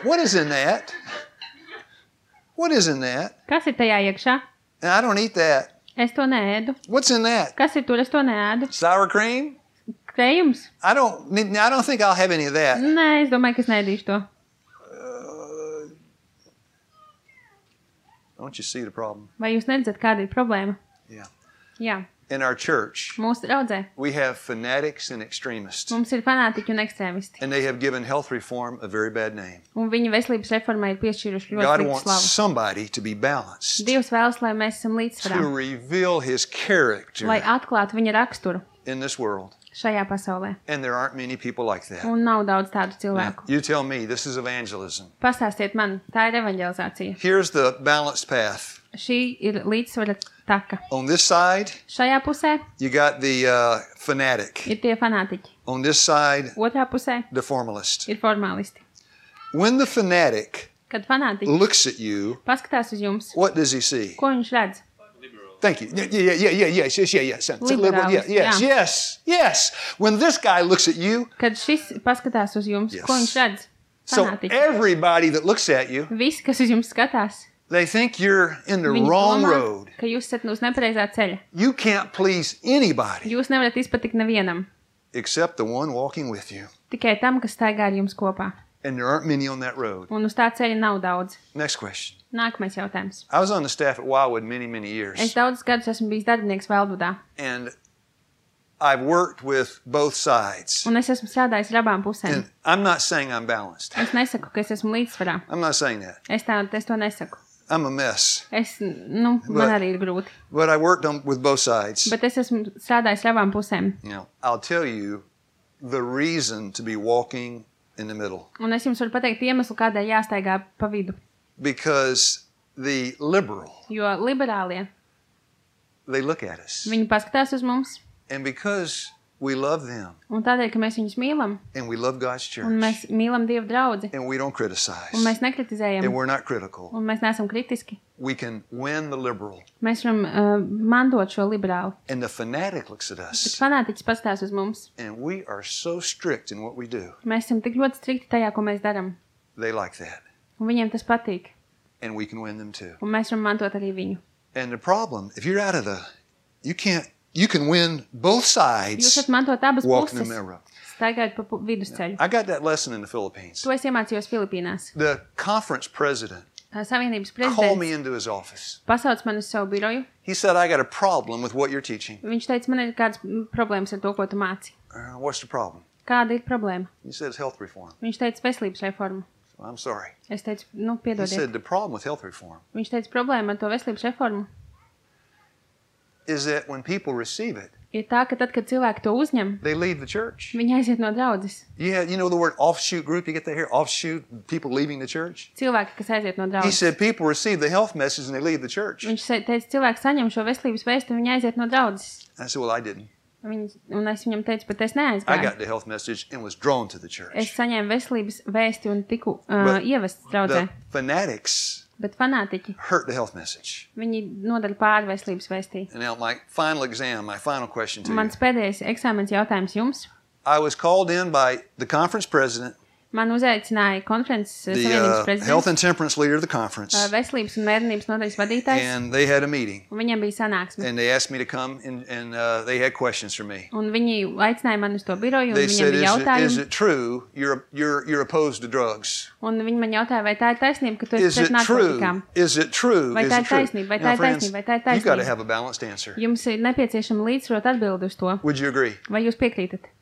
What is in that? What is in that? Kas ir tajā iekšā? And I don't eat that. Es to neēdu. What's in that? Kas ir tur? Es to neēdu. Sour cream? Krējums? I don't think I'll have any of that. Nē, es domāju, ka es neēdīšu to. Don't you see the problem? Vai jūs neredzat, kāda ir problēma? Yeah. Jā, In our church, mūsu draudzē we have fanatics and extremists, mums ir fanātiķi un ekstrēmisti. and they have given health reform a very bad name. Un viņi veselības reformai ir piešķīruši ļoti God sliktu wants slavu. somebody to be balanced, Dievs vēlas, lai mēs esam to līdzsvarā, reveal His lai character atklātu viņa raksturu in this world. šajā pasaulē. And there aren't many people like that. Un nav daudz tādu Now, cilvēku. you tell me, this is evangelism. Pastāstiet man, tā ir evanģelizācija. Here's the balanced path. Šī ir līdzsvara taka. On this side, Šajā pusē you got the fanatic. ir tie fanātiķi. On this side, Otrā pusē the formalist. ir formālisti. When the fanatic Kad fanātiķi looks at you, paskatās uz jums, what does he see? ko viņš redz? Thank you. Yes. Liberals, Yes. When this guy looks at you, Kad šis paskatās uz jums, Yes. ko viņš redz? so Fanātiķi. everybody that looks at you, Visi, kas uz jums skatās, they think you're in the viņi wrong domā, road. ka jūs esat uz nepareizā ceļa. You can't please anybody Jūs nevarat izpatikt nevienam, except the one walking with you. tikai tam, kas staigā ar jums kopā. And there aren't many on that road. Un uz tā ceļa nav daudz. Next question. Nākamais jautājums. I was on the staff at Wildwood many Es years. daudzus gadus esmu bijis darbinieks Velvudā, And I've worked with both sides. un es esmu strādājis ar abām pusēm. And I'm not saying I'm balanced. Es nesaku, ka es esmu līdzsvarā. I'm not saying that. Es to nesaku. I'm a mess. Man arī ir grūti. But I worked with both sides. Bet es esmu strādājis ar abām pusēm. I'll tell you the reason to be walking in the middle. Un es jums varu pateikt iemeslu, kādēļ jāstaigā pa vidu. Because the liberal, Jo liberālie, they look at us. viņi paskatās uz mums. And because we love them Un tādēļ, ka mēs viņus mīlam, and we love God's un church mēs mīlam Dievu draudzi, and we don't criticize un mēs nekritizējam, and we're not critical, un mēs neesam kritiski, we can win the liberal. mēs varam mantot šo liberāli. And the fanatic looks at Bet us fanātiķis paskatās uz mums. and we are so strict in what we do. Mēs esam tik ļoti strikti tajā, ko mēs darām. They like that. Un viņiem tas patīk. And we can win them too. Un mēs varam mantot arī viņu. And the problem, if you're out of you can win both Jūs sides varat mantot abas walking the puses, middle road. staigājot pa vidusceļu. I got that lesson in the Philippines. To es iemācījos Filipīnās. The conference president Savienības called me prezidents into his office. pasauc mani uz savu biroju. He said, I got a problem with what you're teaching. Viņš teica, man ir kādas problēmas ar to, ko tu māci. What's the problem? Kāda ir problēma? He said, it's health reform. Viņš teica, veselības reforma. So I'm sorry. Es teicu, nu, He piedodiet. said, the problem with health reform Viņš teica, problēma ar to veselības reformu is that when people receive it, ir tā, ka tad, kad cilvēki to uzņem, they leave the church. viņi aiziet no draudzes. Yeah, you know the word offshoot group? You get that here? Offshoot, people leaving the church? Cilvēki, kas aiziet no He draudzes. said people receive the health message and they leave the church. Viņš teica, cilvēki saņem šo veselības vēstu un viņi aiziet no draudzes. I said, well, I didn't. Un es viņam teicu, bet es I neaizgāju. got the health message and was drawn to the Es church. saņēmu veselības vēsti un tiku But ievests draudzē. The fanatics Bet fanātiķi, hurt the health message. viņi nodara pāri veselības vēstī. And now my final question to you. Mans pēdējais eksāmens jautājums jums. I was called in by the conference president, Man uzaicināja konferences the savienības health and prezidents, temperance leader of the conference, veselības un mērnības nodaļas vadītājs, and they had a meeting. un viņiem bija sanāksme. And they asked me to come and they had questions for me. Un viņi aicināja mani uz to biroju, un They viņiem said, bija is jautājumi. it true you're opposed to drugs? Un viņi man jautāja, vai tā ir taisnība, ka tu esi Is pret it true? narkotikām. Is it true? Vai Is tā it ir true? taisnība? Vai tā Now, ir friends, taisnība? Vai tā ir you've got to taisnība? have a balanced answer. Jums ir nepieciešama līdzsvarot atbildi uz to. Would you agree? Vai jūs piekrītat?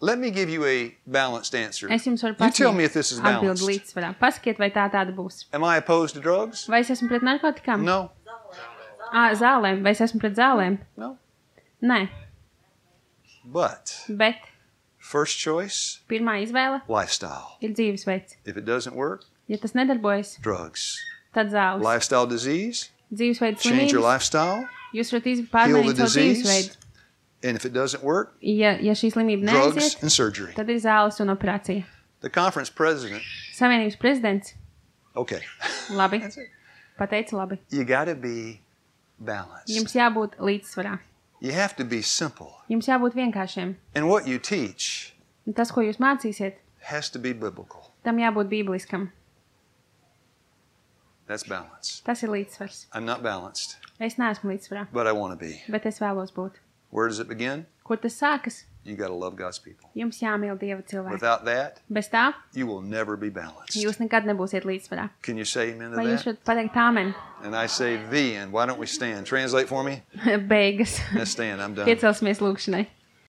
Let me give you a balanced answer. Es jums varu You tell me if this is atbildi balanced. līdzsvarā. Pasakiet, vai tā tāda būs. Am I opposed to drugs? Vai es esmu pret narkotikām? No. Zālēm. Vai es esmu pret zālēm? No. Nē. But Bet first choice, pirmā izvēle lifestyle. ir dzīvesveids. If it doesn't work, Ja tas nedarbojas, drugs. tad zāles. Lifestyle disease, Dzīvesveids change your slimības. lifestyle. Jūs varat Heal pārmainīt the savu disease. dzīvesveidu. And if it doesn't work, Ja šī slimība drugs neaiziet, and surgery. tad ir zāles un operācija. The conference president, Savienības prezidents. okay. Labi. That's it. Pateica labi. You got to be balanced. Jums jābūt līdzsvarā. You have to be simple. Jums jābūt vienkāršiem. And what you teach Un tas, ko jūs mācīsiet, has to be biblical. tam jābūt bībeliskam. That's balance. Tas ir līdzsvars. I'm not balanced, Es neesmu līdzsvarā, but I want to be. bet es vēlos būt. Where does it begin? Kur tas sākas? You got to love God's people. Jums jāmīl Dieva cilvēki. Without that, Bez tā, you will never be balanced. jūs nekad nebūsiet līdzsvarā. Can you say amen to Vai jūs that? varat pateikt āmen? And I say the end. Why don't we stand? Translate for me? Beigas. Let's stand. I'm done. Piecelsimies lūkšanai.